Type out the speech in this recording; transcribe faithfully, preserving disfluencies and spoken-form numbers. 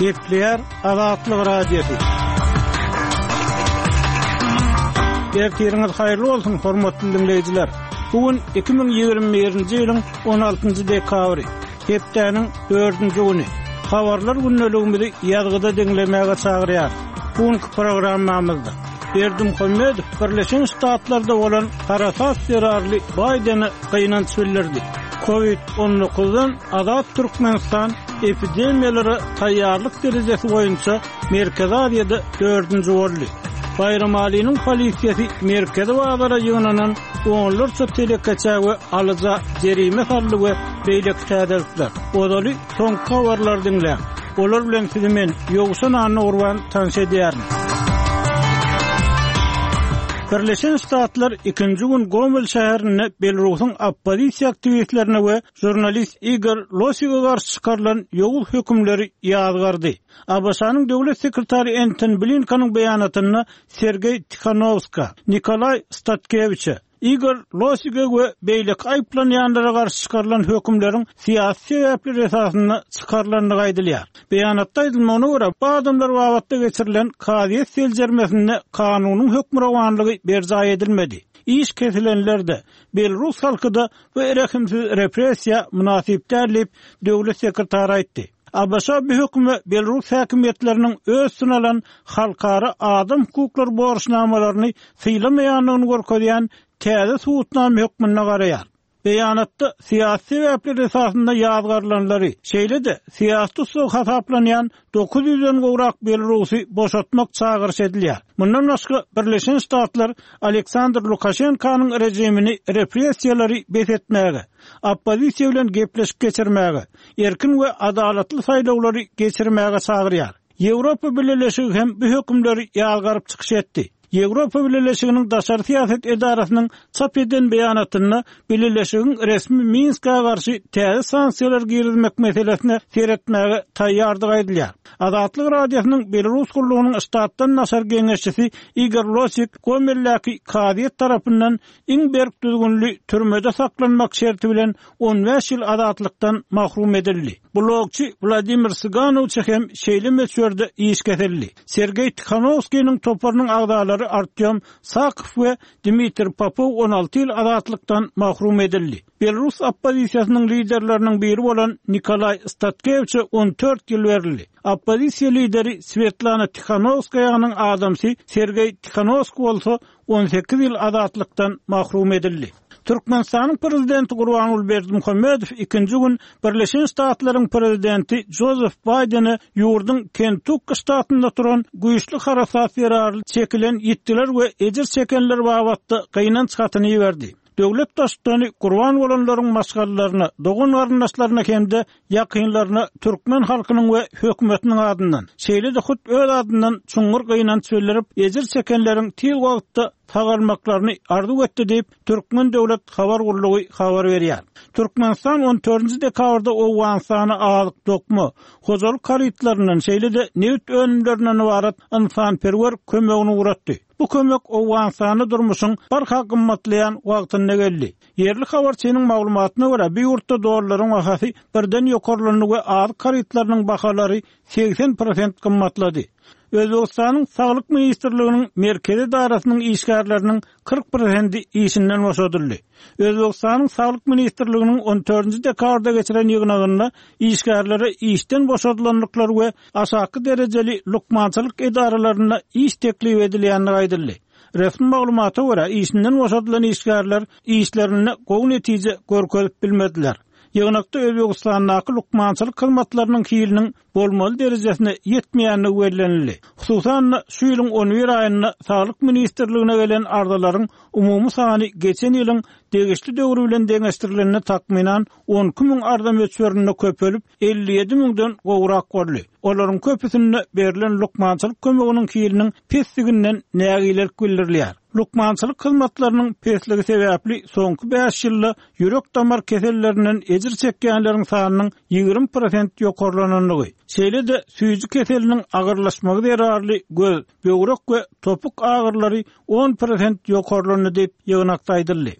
Gepleýär Azatlyk Radiosy. Ertiriňiz haýyrly bolsun, hormatly diňleýjiler. Bu gün iki müň ýigrimi birinji ýylyň on altynjy dekabry, hepdäniň dördünji güni. Habarlar gündeligimizi ýazgyda diňlemäge çagyrýar. Bu günki programmamyzda Berdimuhamedow Birleşen Ştatlarda bolan harasat zerarly Baýdene gynanç bildirdi. Covid on dokuzdan azat Türkmenistan epidemiýalara taýýarlyk derejesi boýunça Merkezi Aziýada dördünji boldy. Baýramalynyň polisiýasy Merkezi bazara ýygnanan onlarça telekeçä we alyja jerime saldy we beýleki täzelikler. Ozaly soňky habarlary diňläň. Olar bilen sizi men Ýowşan Annagurban tanyş edýärin. Birleşen Ştatlar ikinji gün Gomel şäherinde Belarusyň oppozisiýa aktiwistlerine we žurnalist Igor Losige garşy çykarylan ýowuz hökümleri ýazgardy. A B Ş-nyň döwlet sekretary Anton Blinkeniň beýanatynda Sergey Tikhanovska, Nikolay Statkeviçe, Igor Losige we beýleki aýyplanýanlara garşy çykarylan hökümleriň syýasy sebäpler esasynda çykarylandygy aýdylýar. Beýanatda aýdylmagyna görä, bu adamlar babatda geçirilen kazyýet seljermesinde kanunyň hökmürowanlygy berjaý edilmedi. Iş kesilenlerde Belarus halky-da bu rehimsiz repressiýa mynasyp däl diýip döwlet sekretary aýtdy. A B Ş bu höküme Belarus häkimiýetleriniň öz üstüne alan halkara adam hukuklary borçnamalaryny sylamaýandygyny görkezýän täze subutnama hökmünde garaýar. Beýanatda syýasy sebäpler esasynda ýazgarylanlary, şeýle-de syýasy tussag hasaplanýan dokuz ýüzden gowrak Belarusy boşatmak çagyryş edilýär. Mundan başga Birleşen Ştatlar Aleksandr Lukaşenkanyň rejimini repressiýalary bes etmäge, oppozisiýa bilen gepleşik geçirmäge, erkin we adalatly saýlawlary geçirmäge çagyrýar. Ýewropa Bileleşigi hem bu hökümleri ýazgaryp çykyş etdi. Ýewropa Bileleşiginiň daşary syýasat edarasynyň çap eden beýanatynda Bileleşigiň resmi Minska garşy täze sanksiýalar girizmek meselesine seretmäge taýýardygy aýdylýar. Azatlyk Radiosynyň Belarus gullugynyň ştatdan daşary geňeşçisi Igor Losik Gomeldäki kazyýet tarapyndan iň berk düzgünli türmede saklanmak şerti bilen on bäş ýyl azatlykdan mahrum edildi. Blogçy Wladimir Siganowçy hem şeýle möçberde iş kesildi. Sergey Tikhanovskiyniň toparynyň agzalary Artyom Sakow we Dmitri Popov on alty ýyl azatlykdan mahrum edildi. Belarus oppozisiýasynyň liderleriniň biri bolan Nikolay Statkeviçe on dört ýyl berildi. Oppozisiýa lideri Svetlana Tikhanovskaýanyň adamsy Sergey Tikhanovskiý bolsa on sekiz ýyl azatlykdan mahrum edildi. Türkmenistanyň prezidenti Gurbanguly Berdimuhamedow ikinji gün Birleşen Ştatlaryň prezidenti Joseph Biden'e ýurduň Kentukki ştatynda duran güýçli harasat zerarly çekilen ýitgiler we ejir çekenler babatda gynanç hatyny berdi. Döwlet baştutany gurban bolanlaryň maşgalalaryna, dogan garyndaşlaryna hem-de ýakynlaryna türkmen halkynyň we hökümetiniň adyndan, şeýle-de hut öz adyndan çuňňur gynanç bildirip, ejir çekenleriň tiz wagtda sagalmaklaryny arzuw etdi diýip, Türkmen döwlet habar gullugy habar berýär. Türkmenistan on dördünji dekabrda Owganystana azyk dokma, hojalyk harytlaryndan, şeýle-de nebit önümlerinden ybarat ynsanperwer kömegini ugratdy. Bu kömek Owganystanda durmuşyň barha gymmatlaýan wagtynda geldi. Ýerli habarçynyň maglumatyna görä, bu ýurtda dollaryň bahasy birden ýokarlandy we azyk harytlarynyň bahalary segsen prosent gymmatlady. Özbekistanyň Saglyk ministrliginiň merkezi edarasynyň işgärleriniň kyrk prosenti işinden boşadyldy. Özbekistanyň Saglyk ministrliginiň on dördünji dekabrda geçiren ýygnagynda işgärlere işden boşadylanlyklar we aşaky derejeli lukmançylyk edaralarynda iş teklip edilýändigi aýdyldy. Resmi maglumata görä, işinden boşadylan işgärler işlerinde gowy netije görkezip bilmediler. Ýygnakda Özbekistandaky lukmançylyk hyzmatlarynyň hiliniň bolmaly derejesine ýetmeýändigi bellenildi. Hususan-da, şu ýylyň on bir aýynda Saglyk ministrligine gelen arzalaryň umumy sany geçen ýylyň degişli döwri bilen deňeşdirilende takmynan on iki müň arza möçberinde köpelip elli ýedi müňden gowrak boldy. Olaryň köpüsinde berlen lukmançylyk kömeginiň hiliniň pesliginden nägilelik bildirilýär. Lukmançylyk hyzmatlarynyň pesligi sebäpli soňky bäş ýylda ýürek damar kesellerinden ejir çekýänleriň sanynyň ýigrimi prosent ýokarlanandygy, şeýle-de süýji keseliniň agyrlaşmagy zerarly göz, böwrek we topuk agyrlary on prosent ýokarlandy diýip ýygnakda aýdyldy.